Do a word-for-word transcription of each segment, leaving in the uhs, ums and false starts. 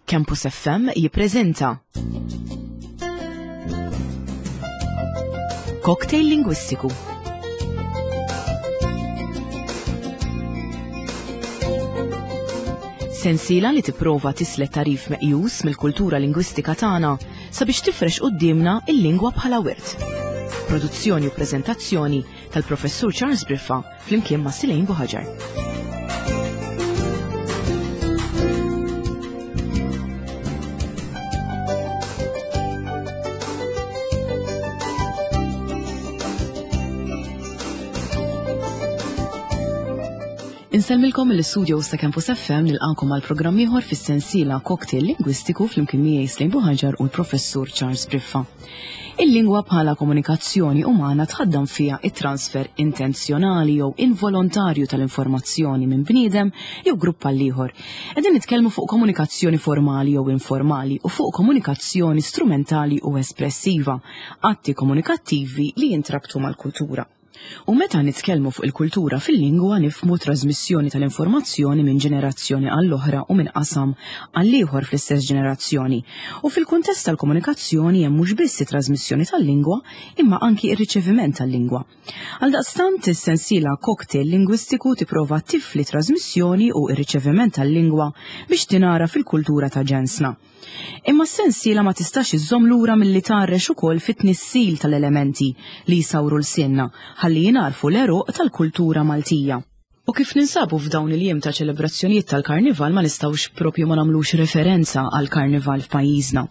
Campus F M jippreżenta Cocktail Lingwistiku. Sensiela li tipprova tislet tarif meqjus mill-kultura lingwistika tagħna sabiex tifrex quddiemna il-lingwa bħala wirt. Produzzjoni u preżentazzjoni tal-Professur Charles Briffa flimkien ma' Silejn Buħaġar. Insellmilkom mill-istudio ta' Campus F M, nilqakom għal programm ieħor fis-sensiela Cocktail Lingwistiku flimkien miegħi Slejn Buħaġar u l-Professur Charles Briffa. Il-lingwa bħala komunikazzjoni umana tħaddam fiha it-transfer intenzjonali jew involontarju tal-informazzjoni minn bniedem jew grupp għal ieħor. Qegħdin nitkellmu fuq komunikazzjoni formali jew informali u fuq komunikazzjoni strumentali u espressiva, atti komunikattivi li jintrabtu mal-kultura. U meta nitkellmu fuq il-kultura fil-lingwa, nifhmu trasmissjoni tal-informazzjoni minn ġenerazzjoni għall-oħra u minn qasam għall-ieħor fl-istess ġenerazzjoni. U fil-kuntest tal-komunikazzjoni hemm mhux biss it-trasmissjoni tal-lingwa, imma anki ir-riċeviment tal-lingwa. Għaldaqstant, is-sensiela Cocktail Lingwistiku tipprova tifli trasmissjoni u ir-riċeviment tal-lingwa biex tingħaraf fil-kultura ta' ġensna. Imma s-sensiela ma tistax iżżomm lura milli tgħarrex ukoll fit-tnissil tal-elementi li jsawru lsienna ħalli jingħarfu l-għeruq tal-kultura Maltija. U kif ninsabu f'dawn il-jiem ta' ċelebrazzjonijiet tal-Karnival, ma nistgħux propju ma nagħmlux referenza għal Karnival f'pajjiżna.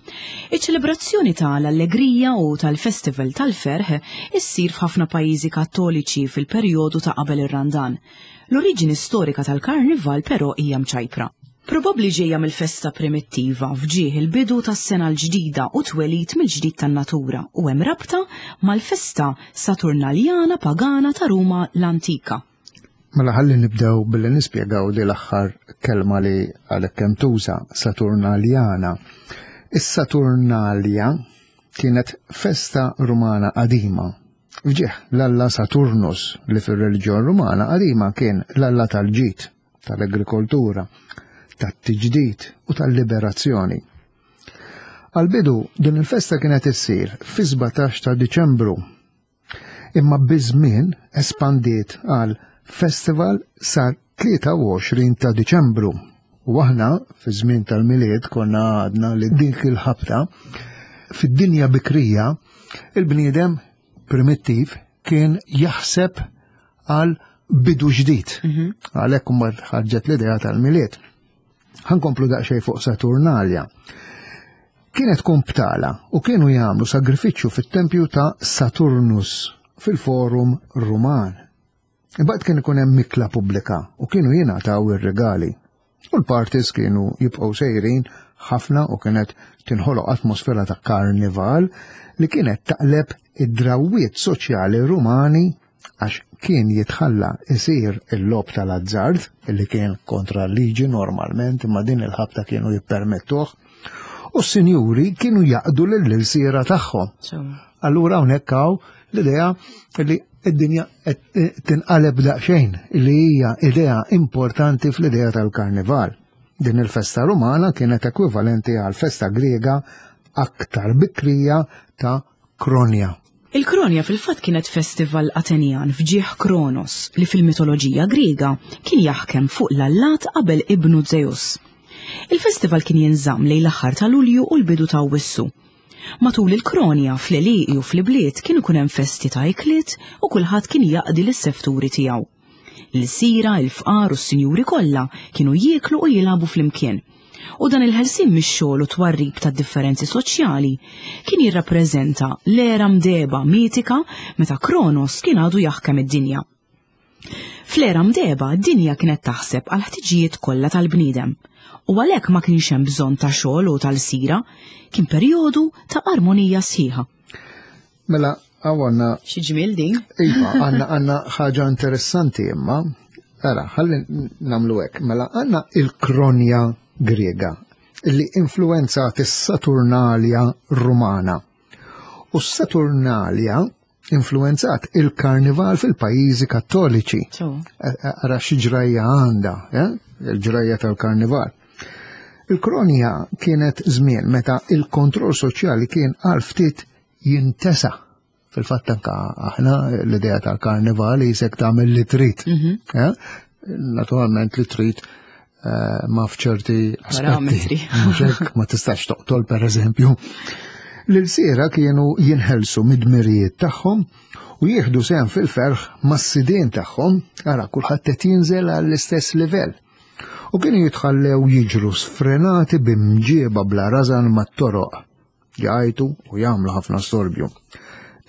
Iċ-ċelebrazzjoni tal-allegrija u tal-Festival tal-Ferħ issir f'ħafna pajjiżi Kattoliċi fil-perjodu ta' qabel ir-Randan. L-oriġini storika tal-Karnival però hija mċajpra. Probabbli ġejja mill-festa primittiva f'ġieħ il-bidu tas-sena l-ġdida u twelid mill-ġdid tan-natura u hemm rabta mal-festa Saturnaljana pagana ta' Ruma l-antika. Mela ħalli nibdew billi nispjegaw li l-aħħar kelma li għalhekk kemm tuża, Saturnaljana. Is-Saturnalia kienet festa Rumana qadima f'ġieħ l-alla Saturnus, li fir-reliġjon Rumana qadima kien l-alla tal-ġid, tal-agrikoltura, tat-tiġdid u tal-liberazzjoni. Għal-bidu din il-festa kienet issir fi sbatax ta' Diċembru, imma biż-żmien espandiet għal festival sa tlieta u għoxrin ta' Diċembru. U aħna fi żmien tal-Milied konna għadna li dik il-ħabta fid-dinja bikrija il-bniedem primittiv kien jaħseb għal bidu ġdid. Għalhekk imbagħad ħarġet l-idea tal-Milied. Ħa nkomplu daqsxejn fuq Saturnalia. Kienet tkun btala u kienu jagħmlu sagrifiċċju fit-tempju ta' Saturnus fil-Forum Ruman. Imbagħad kien ikun hemm mikla pubblika u kienu jingħataw ir-regali. U l-parties kienu jibqgħu sejrin ħafna u kienet tinħoloq atmosfera ta' karnival li kienet taqleb id-drawwiet soċjali Rumani, għax kien jitħalla isir il-logħob tal-azzard, illi kien kontra l-liġi normalment, imma din il-ħabta kienu jippermettuh, u s-sinjuri kienu jaqdu l-ilsiera tagħhom. Allura hawnhekk hawn l-idea li id-dinja qed tinqaleb daqsxejn, li hija idea importanti fl-idea tal-Karnival. Din il-festa Rumana kienet ekwivalenti għal festa Griega aktar bikrija ta' Kronja. Il-Kronja fil-fatt kienet festival Atenjan f'ġieħ Kronos, li fil-mitoloġija Griega kien jaħkem fuq l-allat qabel ibnu Zeus. Il-festival kien jinżamm lejn l-aħħar ta' Lulju u l-bidu ta' Awwissu. Matul il-Kronja, fl-għelieqi u fl-bliet kien ikun hemm festi ta' ikliet u kulħadd kien jaqdi lis-sefturi tiegħu. L-ilsiera, il-fqar u s-sinjuri kollha kienu jieklu u jilagħbu flimkien. U dan il-ħelsin mix-xogħol u twarrib ta' differenzi soċjali kien jirrappreżenta l-era mdehba mitika meta Kronos kien għadu jaħkem id-dinja. Fl-era mdehba, d-dinja kienet taħseb għal ħtiġijiet kollha tal-bniedem. U għalhekk ma kienx hemm bżonn ta' xogħol u tal-sira, kien perjodu ta' armonija sħiħa. Mela, għandna Xi ġmiel din? Iva, għandna għandna ħaġa interessanti imma. Ara, ħalli nagħmlu hekk. Mela għandna il-Kronja Griega li influenzat is-Saturnalia Rumana. U s-Saturnalia influenzat il-Karnival fil-pajjiżi Kattoliċi. Ara xi ġrajja għandha, eh? Il-ġrajja tal-Karnival. Il-kronja kienet żmien meta il-kontroll soċjali kien għal ftit jintesa. Fil-fatt anka aħna l-idea tal-karnival jisek tagħmel li trid. Mhm. Eh? Naturalment li trid eh, ma f'ċerti aspetti. Parametri. Mhux hekk, ma tistax toqtol per eżempju. L-ilsiera kienu jinħelsu mid-dmirijiet tagħhom u jieħdu sehem fil-ferħ mas-sidien tagħhom, ara kulħadd qed jinżel għall-istess livell. U kienu jitħallew jiġru sfrenati b'imġieba bla rażan mat-toroq, jgħajtu u jagħmlu ħafna storbju.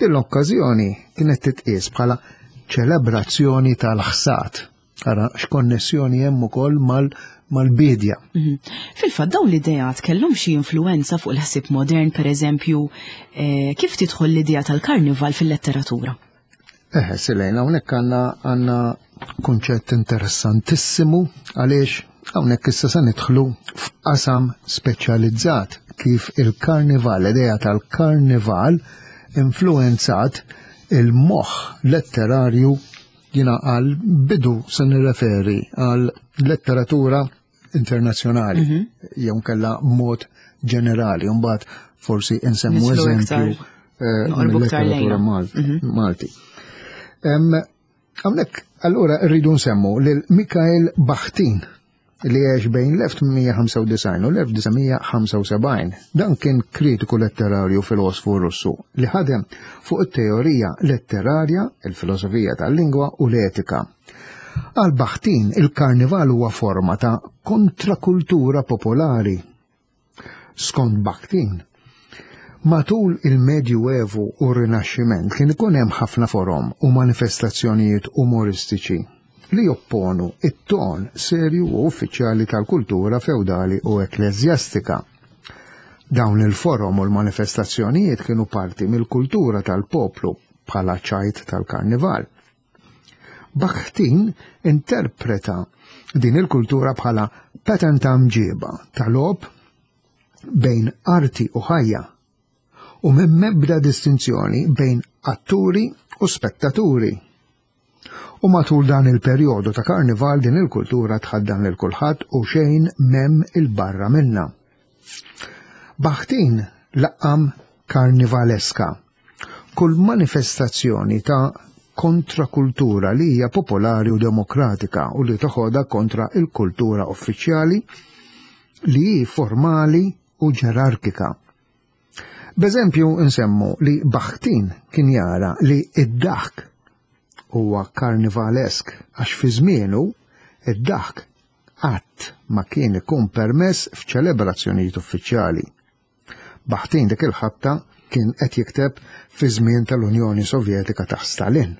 Din l-okkażjoni kienet titqies bħala ċelebrazzjoni tal-ħsad. Ara x'konnessjoni hemm ukoll mal mal-bidja. Mhm. Fil-fatt dawn l-ideat kellhom xi influenza fuq il-ħsieb modern, per eżempju, eh, kif tidħol l-idea tal-karnival fil-letteratura? Eħe, Silejna, hawnhekk għandna għandna kunċett interessantissimu għaliex hawnhekk issa se nidħlu f'qasam speċjalizzat kif il-karnival, l-idea tal-karnival influenzat il-moħħ letterarju. Jiena għal bidu se nirreferi għal letteratura internazzjonali jew kella mod ġenerali, mbagħad forsi insemmu Nidħlu eżempju iktar, eh, noqorbu iktar mill-letteratura lejna. Mal- Malti. Em, Hawnhekk allura rridu nsemmu lil Mikhail Bakhtin li għex bejn l-elf tmien mija ħamsa u disgħin u l-elf disa' mija ħamsa u sebgħin. Dan kien kritiku letterarju, filosfu Russu li ħadem fuq it-teorija letterarja, il-filosofija tal-lingwa u l-etika. Għal Bakhtin il-karnival huwa forma ta' kontrakultura popolari. Skont Bakhtin, matul il-Medjuevu u r-Rinaxximent kien ikun hemm ħafna forom u manifestazzjonijiet umoristiċi li jopponu it-ton serju u uffiċjali tal-kultura feudali u ekkleżjastika. Dawn il-forom u l-manifestazzjonijiet kienu parti mill-kultura tal-poplu bħala ċajt tal-karnival. Bakhtin interpreta din il-kultura bħala pattern ta' mġiba tal-logħob bejn arti u ħajja u minn mebda distinzjoni bejn atturi u spettaturi. U matul dan il-perjodu ta' karnival din il-kultura tħaddan lil kulħadd u xejn m'hemm 'il barra minna. Bakhtin laqqam karnivaleska kull manifestazzjoni ta' kontrakultura li hija popolari u demokratika u li toħodha kontra il-kultura uffiċjali li hi formali u ġerarkika. B'eżempju nsemmu li Bakhtin kien jara li id-daħk huwa karnivalesk għax fi żmienu id-daħk qatt ma kien ikun permess f'ċelebrazzjonijiet uffiċjali. Bakhtin dik il-ħabta kien qed jikteb fi żmien tal-Unjoni Sovjetika ta' Stalin.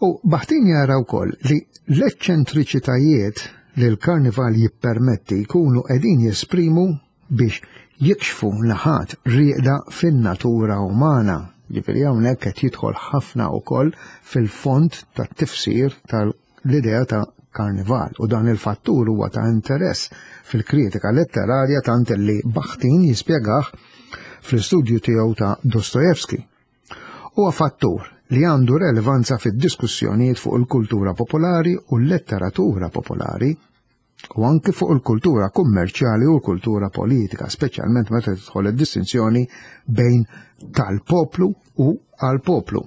U Bakhtin jara wkoll li l-eċċentriċitajiet li l-karnival jippermetti jkunu qegħdin jesprimu biex jikxfu naħat rieqda fin-natura umana. Ġifieri hawnhekk qed jidħol ħafna wkoll fil-fond tat-tifsir tal-idea ta' karnival u dan il-fattur huwa ta' interess fil-kritika letterarja tant li Bakhtin jispjegah fl-istudju tiegħu ta' Dostojevski. Huwa fattur li għandu relevanza fid-diskussjonijiet fuq il-kultura popolari u l-letteratura popolari u anki fuq il-kultura kummerċjali u l-kultura politika, speċjalment meta tidħol id-distinzjoni bejn tal-poplu u għal-poplu.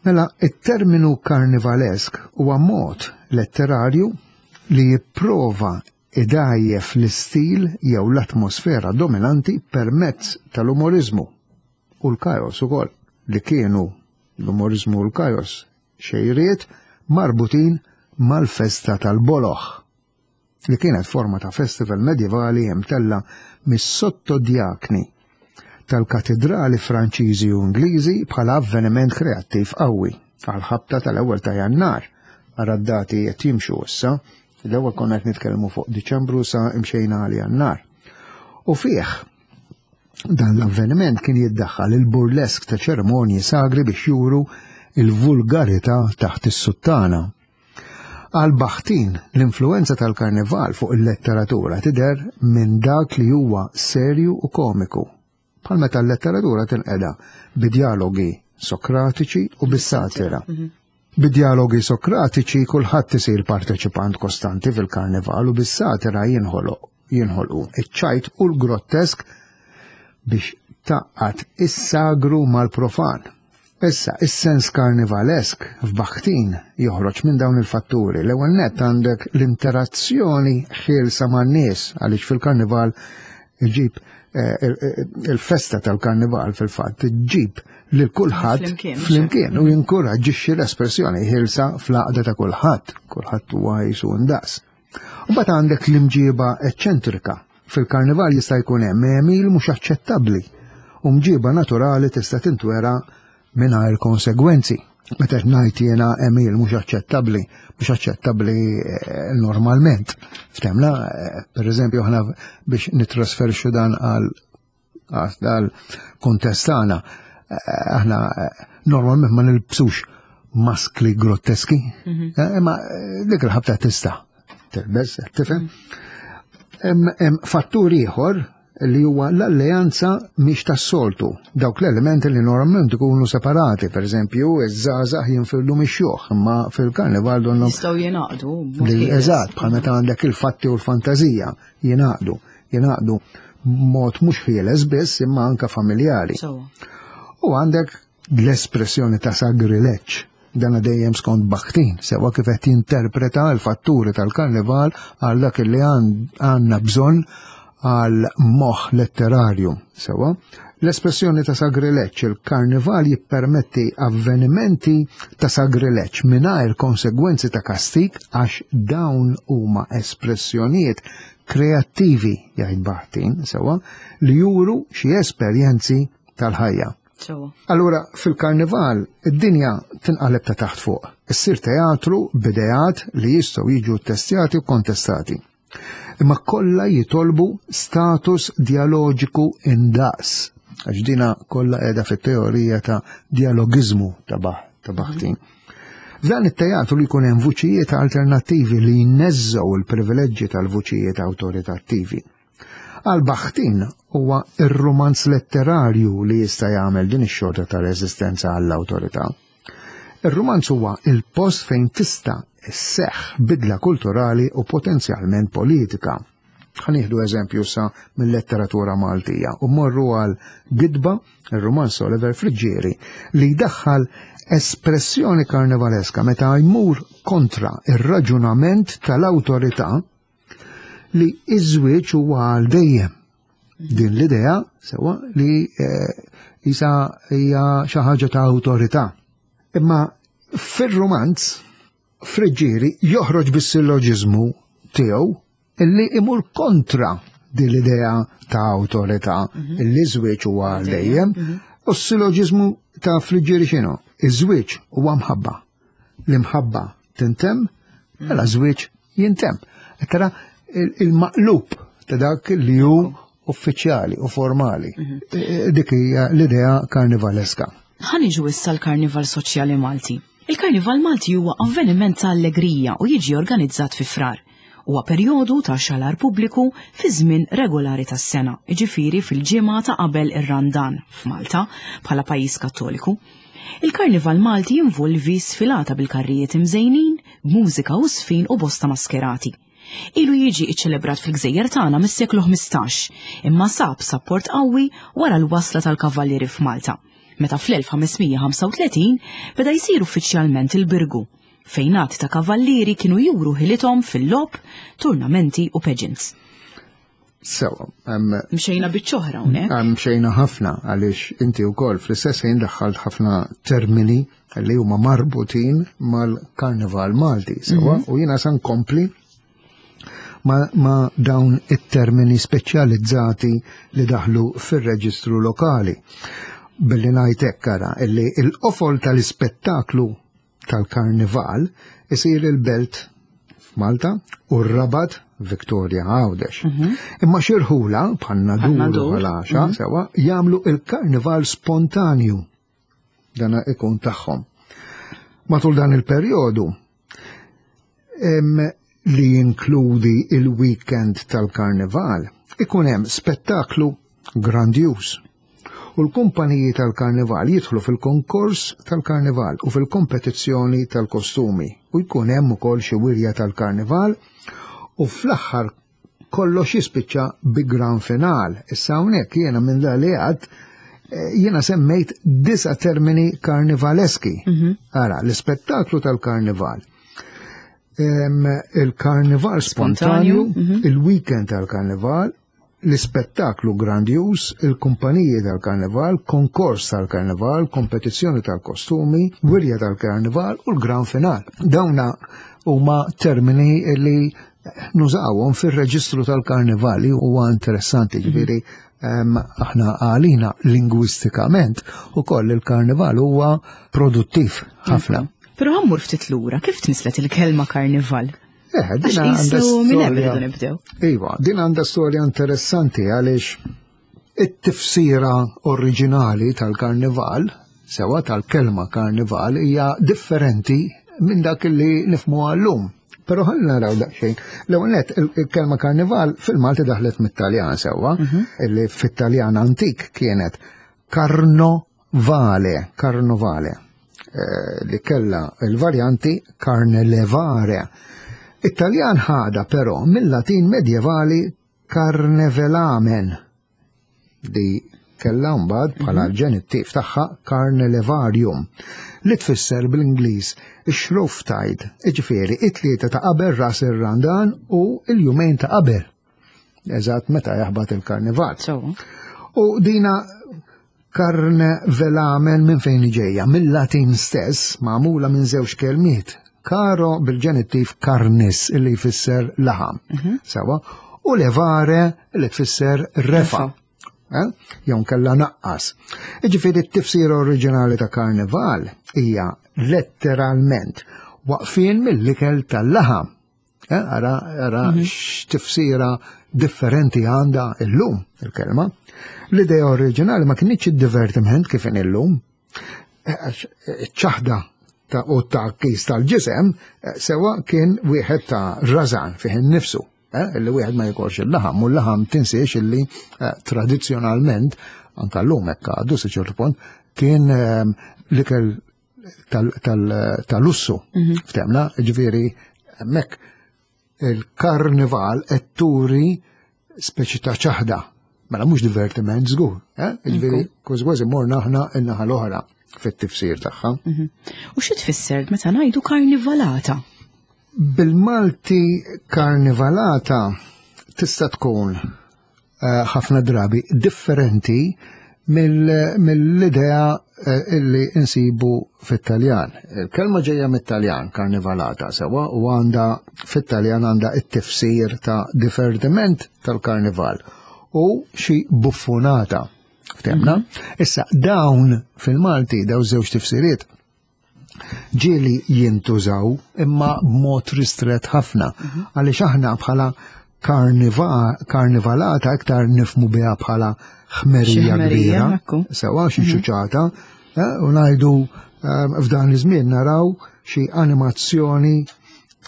Mela, it-terminu karnivalesk huwa mod letterarju li jipprova idajjef l-istil jew l-atmosfera dominanti permezz tal-umorizmu u l-kajos ukoll, li kienu l-umorizmu u l-kajos xejriet marbutin mal-festa tal-boloħ, li kienet forma ta' festival medjevali imtella mis-sottodjakni tal-katedrali Franċiżi u Ingliżi bħala avveniment kreattiv qawwi għal-ħabta tal-ewwel ta' Jannar. Ara d-dati qed jimxu issa, l-ewwel konna qed nitkellmu fuq Diċembru, sa imxejna għal Jannar. U fih dan l-avveniment kien jiddaħħal il-burlesk ta' ċerimonji sagri biex juru il-vulgarità taħt is-suttana. Għal Bakhtin, l-influenza tal-karnival fuq il-letteratura tidher minn dak li huwa serju u komiku. Bħal meta l-letteratura tinqeda bidjalogi sokratiċi u bis-satira. Bidjalogi sokratiċi kulħadd isir parteċipant kostanti fil-karnival u bis-satira jinħoloq jinħolqu, iċ-ċajt u l-grottesk biex tgħaqqad is-sagru mal-profan. Issa, is-sens karnivalesk f'Bakhtin joħroġ minn dawn il-fatturi. L-ewwel nett għandek l-interazzjoni ħielsa man-nies, għaliex fil-karnival iġib eh, il-festa tal-karnival fil-fatt ġib lil kulħadd Flimkien, flimkien u jinkoraġġixxi l-espressjoni ħielsa fl-għaqda ta' kulħadd, kulħadd huwa jisu ndaqs. U mbagħad għandek l-imġiba eċċentrika. Fil-karnival jista' jkun hemm għemil mhux aċċettabbli u mġiba naturali tista' tintwera mingħajr konsegwenzi. Meta ngħid jiena għemil mhux aċċettabbli, mhux aċċettabbli eh, normalment. Ftemna, eh, per eżempju, aħna biex nitrasferxu dan għal għal kuntest tagħna, eh, aħna normalment ma nilbsux maskli grotteski, imma dik il-ħabta tista' tilbes, tifhem. Hemm fattur ieħor li huwa l-alleanza mhix tas-soltu. Dawk l-elementi li normalment ikunu separati, per eżempju, iż-żgħażagħ jinfirdu mix-xjuħ, imma fil-karnival donhom Jistgħu jingħaqdu. li eżatt, bħal meta għandek il-fatti u l-fantazija jingħaqdu, jingħaqdu mod mhux ħieles biss imma anka familjari. Sewwa. U għandek l-espressjoni ta' sagrileġġ, dana dejjem skont Bakhtin, sewa kif qed jinterpreta l-fatturi tal-karnival għal dak li għandna bżonn għal moħ letterarju, sewa. L-espressjoni ta' sagrileġġ, il-karnival jippermetti avvenimenti ta' sagrileġġ mingħajr konsegwenzi ta' kastik għax dawn huma espressjonijiet kreattivi, jgħid Bakhtin, sewa, li juru xi esperjenzi tal-ħajja. Sewwa. Allura, fil-karnival, id-dinja tinqaleb ta' taħt fuq. Issir teatru b'ideat li jistgħu jiġu testjati u kontestati. Imma kollha jitolbu status dialogiku indaqs. Għax dina kollha qiegħda fit-teorija ta' dialogiżmu ta' Bah- ta' Bakhtin. F'dan it-teatru li jkun hemm vuċijiet alternattivi li jneżżgħu il-privileġġi tal-vuċijiet awtoritattivi. Għal Bakhtin huwa ir-romanz letterarju li jista' jagħmel din ix-xorta ta' reżistenza għall-awtorità. Ir-romanz huwa il-post fejn tista' isseħħ bidla kulturali u potenzjalment politika. Ħa nieħdu eżempju sa mill-letteratura Maltija u morru għal Gidba, ir-romanz Oliver Friggieri, li jdaħħal espressjoni karnivaleska meta jmur kontra ir-raġunament tal-awtorità li iż-żwieġ huwa għal dejjem. Din l-idea sewa li eh, isa hija xi ħaġa ta' awtorità. Imma fir-romanz Friggieri joħroġ bis-silloġiżmu tiegħu illi imur kontra din l-idea ta' awtorità illi żwieġ huwa għal dejjem. U s-silloġiżmu ta' Friggieri x'inhu? Iż-żwieġ huwa mħabba. L-imħabba tintemm, mela żwieġ jintemm. Tara il-maqlub ta' dak li hu uffiċjali u formali. E, Dik hija l-idea karnivaleska. Ħa niġu issa l-Karnival Soċjali Malti. Il-Karnival Malti huwa avveniment ta' allegrija u jiġi organizzat fi Frar. Huwa perjodu ta' xalar pubbliku fi żmien regolari tas-sena, jiġifieri fil-ġimgħa ta' qabel ir-Randan f'Malta bħala pajjiż Kattoliku. Il-Karnival Malti jinvolvi sfilata bil-karrijiet imżejnin, b'mużika u sfin u bosta maskerati. Ilu jiġi iċċelebrat fil-gżejjer tagħna mis-seklu ħmistax, imma sab sapport qawwi wara l-wasla tal-kavallieri f'Malta, meta fl-elf ħames mija ħamsa u tletin beda jsir uffiċjalment il-Birgu, fejn għadd ta' kavallieri kienu juru ħilithom fil-logħob, turnamenti u pageants. Sewa, hemm Mxejna biċċ'oħra hawnhekk. Mxejna ħafna għaliex inti wkoll fl-istess ħin daħħalt ħafna termini li huma marbutin mal-Karnival Malti, sewa, u jiena sa nkompli ma, ma dawn it-termini speċjalizzati li daħlu fir-reġistru lokali. Billi ngħid hekk ara illi il-qofol tal-ispettaklu tal-karnival isir il-Belt f'Malta u r-Rabat Victoria Għawdex. Imma xi rħula bħal Nadur u Nadur. Ħal Għaxaq sewa jagħmlu il-karnival spontanju. Dana ikun tagħhom. Matul dan il-perjodu em, li jinkludi il-weekend tal-karnival, ikun hemm spettaklu grandjuż. U l-kumpaniji tal-karnival jidħlu fil-konkors tal-karnival u fil-kompetizzjoni tal-kostumi u jkun hemm ukoll xi wirja tal-karnival u fl-aħħar Kollox jispiċċa bi gran final. Issa hawnhekk jiena minn dak li għedt eh, jiena semmejt disa termini karnivaleski. Ara, l-ispettaklu tal-karnival. Em, Il-karnival spontanju, Spontanju, il-weekend tal-karnival, l-ispettaklu grandjuż, il-kumpaniji tal-karnival, konkors tal-karnival, kompetizzjoni tal-kostumi, wirja tal-karnival u l-gran final. Dawna huma termini li nużawhom fir-reġistru tal-karnival li huwa interessanti, ġifieri em, aħna għalina lingwistikament ukoll il-karnival huwa produttiv ħafna. Però ħa mmur ftit lura, kif tnislet il-kelma karnival? Eh, Għax din għandha qisu minn hemm storja- irridu nibdew. Iva, din għandha storja interessanti għaliex it-tifsira oriġinali tal-karnival, sewa tal-kelma karnival, hija differenti minn dak li nifhmu għal-lum. Però ħalli naraw daqsxejn. L-ewwel nett il-kelma karnival fil-Malti daħlet mit-Taljan sewwa, illi fit-Taljan antik kienet carnovale, carnovale, eh, li kella il-varjanti carnelevare. It-Taljan ħada però mill-Latin medjevali carnevelamen li kella mbagħad bħala l-ġenittiv tagħha carnelevarium li tfisser bl-Ingliż ix-Shrovetide, jiġifieri it-tlieta ta' qabel ras ir-Randan u l-jumejn ta' qabel. Eżatt meta jaħbat il-karnival. So, U dina carnevelamen minn fejn ġejja, mill-Latin stess, magħmula minn żewġ kelmiet. Caro bil-ġenittiv carnis illi jfisser laħam. Sewa, u levare li tfisser refa. Eh? Jew kella naqqas. Iġifieri t-tifsira oriġinali ta' karnival hija letteralment waqfien mill-ikel tal-laħam. Eh, Ara, ara x'tifsira differenti għandha illum il-kelma. L-idea oriġinali ma kienx id-divertiment kif in illum. Eh, għax, eh, ċaħda ta' u ta' kis tal-ġisem eh, sewa kien wieħed ta' rażan fih innifsu. Eh, illi wieħed ma jikolx il-laħam u l-laħam tinsiex illi eh, tradizzjonalment anka llum hekk għadu sa ċertu punt kien eh, l-ikel tal-lussu. Ftemna, ġifieri hemmhekk il-karnival qed turi speċi ta' ċaħda. Mela mhux divertiment żgur, eh? Ġifieri kważi kważi morna aħna in-naħa l-oħra fit-tifsir tagħha. U xi tfisser meta ngħidu karnivalata? Bil-Malti karnivalata tista' tkun eh, ħafna drabi differenti mill- mill-idea eh, illi insibu fit-Taljan. Il-kelma ġejja mit-Taljan, karnivalata, sewa, u għandha fit-Taljan għandha it-tifsir ta' divertiment tal-karnival u xi buffonata. Ftemna? Issa, dawn fil-Malti, dawn żewġ tifsiriet, ġieli jintużaw imma b'mod ristret ħafna. Għaliex aħna bħala karniva- karnivalata iktar nifhmu biha bħala Xi ħmerija ħmerija, kbira, ekku. sewa xi ċuċata, eh, u ngħidu eh, f'dan iż-żmien naraw xi animazzjoni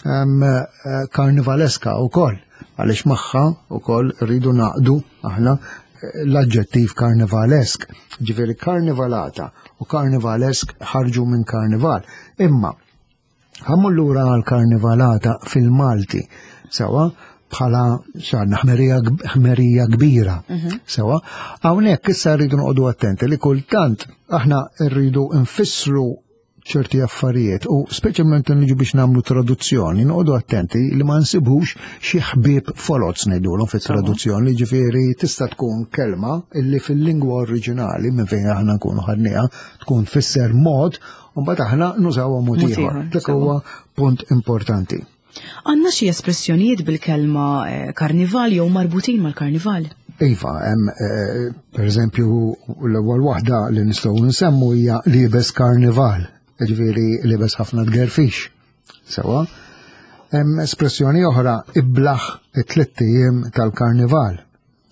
em, eh, karnivaleska wkoll għaliex magħha wkoll rridu naqdu aħna eh, l-aġġettiv karnivalesk. Ġifieri karnivalata u karnivalesk ħarġu minn karnival. Imma ħa mmur lura għal karnivalata fil-Malti, sewa bħala xarna ħmerija ħmerija kbira, sewa. Hawnhekk issa rridu noqogħdu attenti li kultant aħna rridu nfissru ċerti affarijiet u speċjalment niġu biex nagħmlu traduzzjoni, noqogħdu attenti li ma nsibux xi ħbieb foloz ngħidulhom fit-traduzzjoni, ġifieri tista' tkun kelma illi fil-lingwa oriġinali minn fejn aħna nkunu ħadniha tkun tfisser mod u mbagħad aħna nużawha mod Mod ieħor. ieħor, Dak sewa. huwa punt importanti. Għandna xi espressjonijiet bil-kelma eh, karnival jew marbutin mal-karnival? Iva, hemm eh, per eżempju l-ewwel waħda li nistgħu nsemmu hija liebes karnival, ġifieri liebes ħafna tgerfix. Sewa. Hemm espressjoni oħra iblaħ it-tliet ijiem tal-karnival.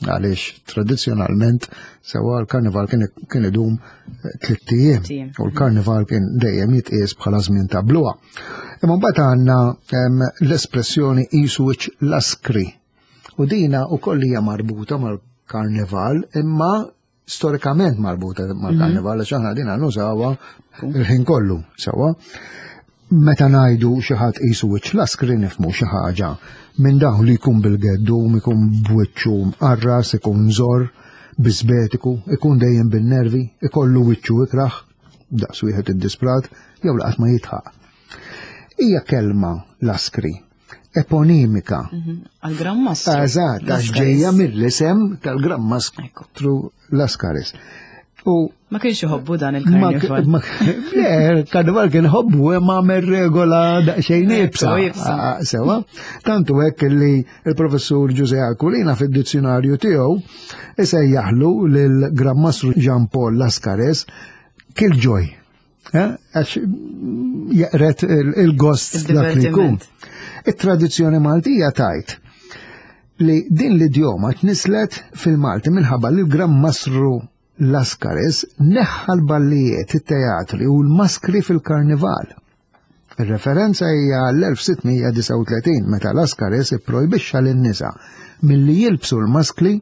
Għaliex tradizzjonalment sewa l-karnival kien kien idum eh, tliet ijiem Tliet ijiem. u l-karnival kien dejjem jitqies bħala żmien ta' bluha. Imma mbagħad għandna em, l-espressjoni qisu wiċċ laskri. U dina ukoll hija marbuta mal-karnival, imma storikament marbuta mal-karnival, għax aħna dina nużawha il-ħin kollu, sewa. Meta ngħidu xi ħadd qisu wiċċ laskri nifhmu xi ħaġa minn dawn li jkun bil-geddum, ikun b'wiċċu mqarras, ikun żor, bisbetiku, ikun dejjem bin-nervi, ikollu wiċċu ikraħ, daqs wieħed iddisprat, jew laqat ma jitħaq. Hija kelma laskri, eponimika. Mhm. Għal-Gran Mastru. Eżatt, għax ġejja mill-isem tal-Gran Mastru Laskaris. U Ma kienx iħobbu dan il-karnival. Le, il-karnival kien ħobbu ma għamel regola daqsxejn iebsa. Iebsa. Sewa, tantu hekk li il-professur Giuseppe Aquilina fid-dizzjonarju tiegħu isejjaħlu lil Gran Mastru Jean Paul Lascaris killjoy. Eh, għax jeqred il-gost dak li jkun. Il-tradizzjoni Maltija tajt li din l-idjoma tnislet fil-Malti minħabba li l-Gran Mastru Laskaris neħħa l-ballijiet, it-teatri u l-maskri fil-karnival. Il-referenza hija l-elf sitt mija disgħa u tletin meta Laskaris ipprojbixxa lin-nisa milli jilbsu l-maskli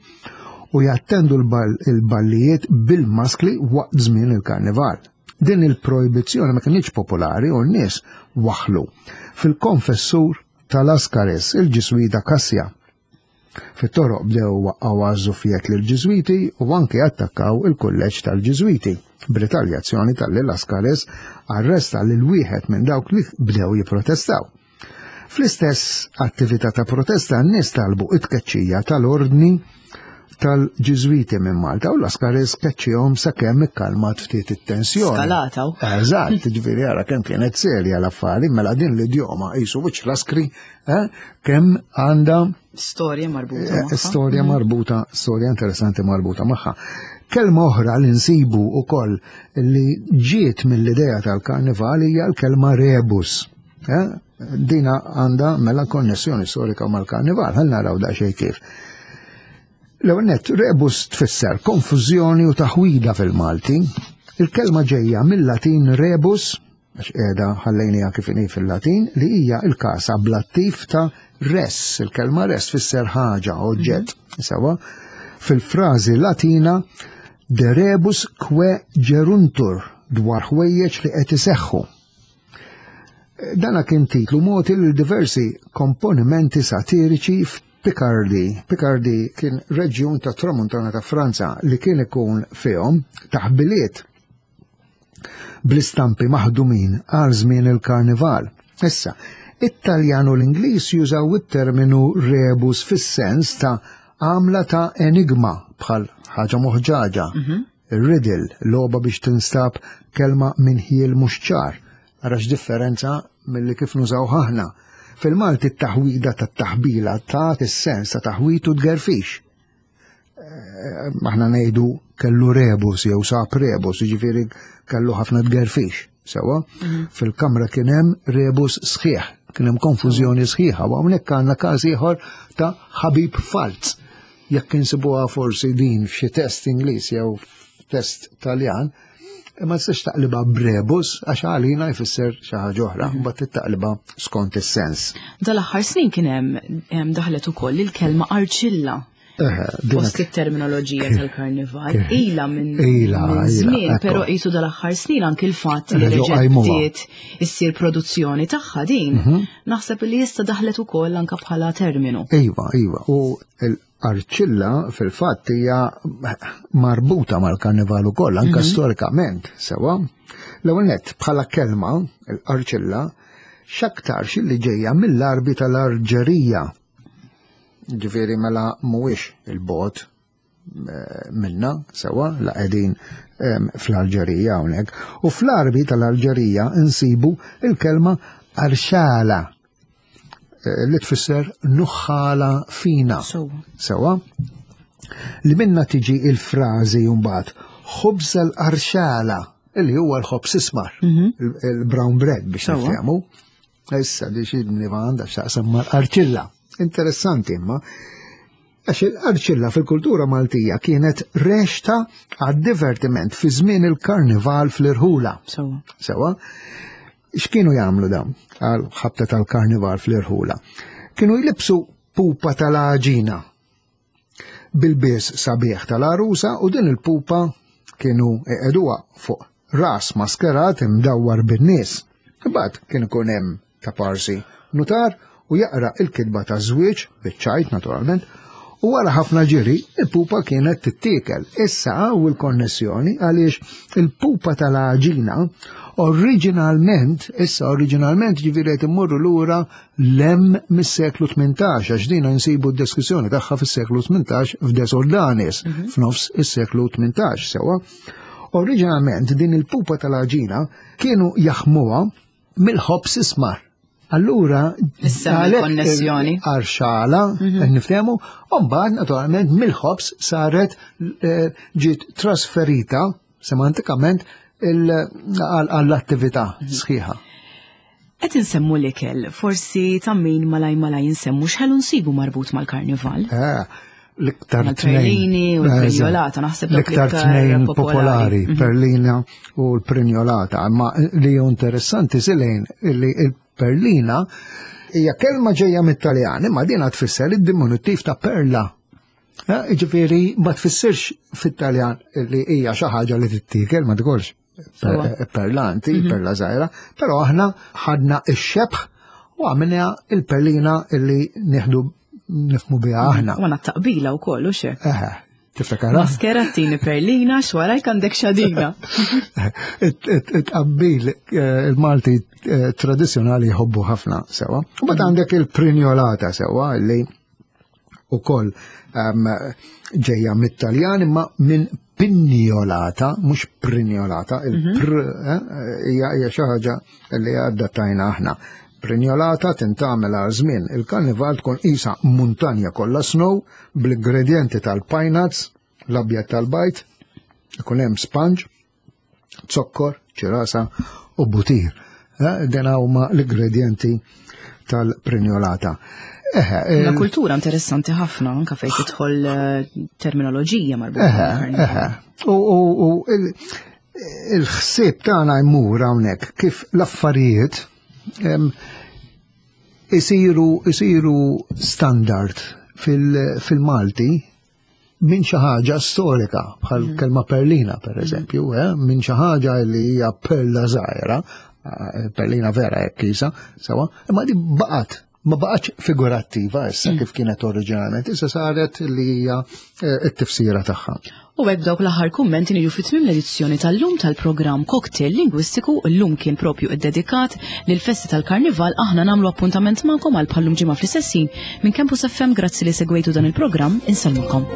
u jattendu l-ballijiet bil-maskli waqt żmien il-karnival. Din il-projbizzjoni ma kienx popolari u n-nies waħlu fil-konfessur tal-Laskaris, il-Ġiżwita Kassja. Fit-toroq bdew waqqgħu għażufiet lill-Ġiżwiti u anke attakkaw il-kulleġġ tal-Ġiżwiti. B'ritaljazzjoni talli Laskaris arresta lil wieħed minn dawk li bdew jipprotestaw. Fl-istess attività ta' protesta n-nies talbu it-tkeċċija tal-ordni tal-Ġiżwiti minn Malta u Laskaris keċċihom sakemm ikkalmat ftit it-tensjoni. Skalata. Eżatt, ġifieri ara kemm kienet serja l-affari, mela din l-idjoma qisu wiċċ laskri, eh, kemm għandha Storja marbuta eh, magħha. Storja marbuta, storja interessanti marbuta magħha. Kelma oħra li nsibu ukoll li ġiet mill-idea tal-karnival hija l-kelma rebus. Eh? Dina għandha mela konnessjoni storika mal-karnival, ħa naraw daqsxejn kif. L-ewwel nett, rebus tfisser konfużjoni u taħwida fil-Malti. Il-kelma ġejja mill-Latin rebus, għax qiegħda ħallejniha kif inhi fil-Latin, li hija il-każ ablattiv ta' res. Il-kelma res tfisser ħaġa, oġġett. Sewa, fil-frażi Latina de rebus quae geruntur, dwar ħwejjeġ li qed iseħħu. Dana kien titlu mogħti lil diversi komponimenti satiriċi f'Picardy. Picardy kien reġjun ta' tramuntana ta' Franza li kien ikun fihom taħbiliet bl-istampi maħdumin għal żmien il-karnival. Issa, it-Taljan u l-Ingliż jużaw it-terminu rebus fis-sens ta' għamla ta' enigma, bħal ħaġa moħġaġa, riddle, logħba biex tinstab kelma minn ħjiel mhux ċar. Ara x'differenza milli kif nużaw aħna. Fil-Malti t-taħwida tat-taħbila ta' is-sens ta' taħwit u tgerfix. Eh, Aħna ngħidu kellu rebus jew sab rebus, jiġifieri kellu ħafna tgerfix. Sewa, fil-kamra kien hemm rebus sħiħ, kien hemm konfużjoni sħiħa, u hawnhekk għandna każ ieħor ta' ħabib falz. Jekk insibuha forsi din f'xi test Ingliż jew test Taljan, ma tistax taqliba b'rebus għax għalina jfisser xi ħaġa oħra, mbagħad taqliba skont is-sens. Dal-aħħar snin kien hemm hemm daħlet ukoll il-kelma arċilla Eħe, dina fost it-terminoloġija tal-karnival. Ila minn Ila, minn ila, żmien, ekku. però qisu dal-aħħar snin anki l-fatt li Reġgħu reġgħet qajmuha. bdiet issir produzzjoni tagħha din. Mhm. Naħseb li issa daħlet ukoll anke bħala terminu. Iva, iva, u l-arċilla fil-fatt hija marbuta mal-karnival ukoll, anka storikament, sewa. L-ewwel nett, bħala kelma, l-arċilla, x'aktarx li ġejja mill-Arbi tal-Arġerija. Ġifieri mela mhuwiex il-bot eh, minna, sewa, la qegħdin em, fl-Alġerija hawnhekk. U fl-Arbi tal-Alġerija insibu il-kelma arxala eh, li tfisser nuħħala fina. Sewa. Sewa, li minna tiġi il-frażi mbagħad ħobż l-arxala, illi huwa l-ħobż ismar, il- il-brown bread biex Sewa. nifhmu. Issa di xi għandha x'taqsam mal-arċilla. Interessanti imma, għax il-arċilla fil-kultura Maltija kienet rexta għad-divertiment fi żmien il-karnival fl-irħula. Sewa. Sewa, x'kienu jagħmlu dawn għal ħabta tal-karnival fl-irħula? Kienu jlibsu pupa tal-għaġina bil-bies sabiħ tal-arusa u din il-pupa kienu iqegħduha fuq ras maskerat imdawwar bin-nies. Imbagħad kien ikun hemm ta' parsi nutar u jaqra il-kitba ta' żwieġ, biċ-ċajt naturalment, u wara ħafna ġiri il-pupa kienet tittiekel. Issa hawn il-konnessjoni għaliex il-pupa tal-għaġina oriġinalment, issa oriġinalment ġifieri qed immorru lura lem mis-seklu tmintax, għax dina nsibu d-deskrizzjoni tagħha fis-seklu tmintax f'De Soldanis, f'nofs is-seklu tmintax, sewa. Oriġinalment din il-pupa tal-għaġina kienu jaħmuha mill-ħobż ismar. Allura, Issa għalhekk il-konnessjoni. Arxala, niftehmu, u mbagħad naturalment mill-ħobż saret eh, ġiet trasferita semantikament il- għall- għall-attività sħiħa. Qed insemmu l-ikel, forsi ta' min malaj malaj insemmu x'ħelu nsibu marbut mal-karnival. Eh, L-iktar Mal-perlini u l-prinjolata, naħseb dawk l-iktar l-iktar tnejn popolari. popolari, Mhm. perlina u l-prinjolata, ma li hu interessanti silejn li il-perlina hija kelma ġejja mit-Taljan, imma dina tfisser id-diminutiv ta' perla. Eh, Ġifieri ma tfissirx fit-Taljan li hija xi ħaġa li tittiekel, ma tkunx Sewa. perlanti, perla żgħira, però aħna ħadna ix-xebħ u għamilna il-perlina illi nieħdu nifhmu biha aħna. U għandna taqbila u kollu xe. Eħe, tiftakara? Maskerattini perlina, xwarajk għandek xadina. It-tqabbil eh, il-Malti eh, tradizjonali jħobbu ħafna sewa. U mbagħad għandek il-prinjolata sewa li ukoll ehm, ġejja mit-Taljan imma minn pinjolata, mhux prinjolata, il-pr eh, hija hija xi ħaġa li adattajna aħna. Prinjolata tintgħamel għal żmien il-karnival tkun isa muntanja kollha snow bl-ingredienti tal-pine nuts, l-abjad tal-bajd, ikun hemm sponge, zokkor, ċirasa u butir. Eh, Dena huma l-ingredienti tal-prinjolata. Eħe, La il- kultura interessanti ħafna, anka fejn tidħol eh, terminoloġija marbuta Eħe, mal-karnival. eħe. U, u, u il- il-ħsieb tagħna jmur hawnhekk kif l-affarijiet em, isiru isiru standard fil- fil-Malti minn xi ħaġa storika bħal kelma perlina per eżempju, eh, minn xi ħaġa li hija perla żgħira, eh, perlina vera hekk isa, sewa, imma di baqgħet ma baqgħetx figurattiva issa kif kienet oriġinalment, issa saret li hija eh, t-tifsira tagħha. U hekk dawk l-aħħar kummenti niġu fi tmiem l-edizzjoni tal-lum tal-programm Cocktail Lingwistiku llum kien propju iddedikat lil festi tal-Karnival. Aħna nagħmlu appuntament magħkom għal bħallum ġimgħa fl-istess ħin minn Campus F M. Grazzi li segwejtu dan il-programm, insellmulkom.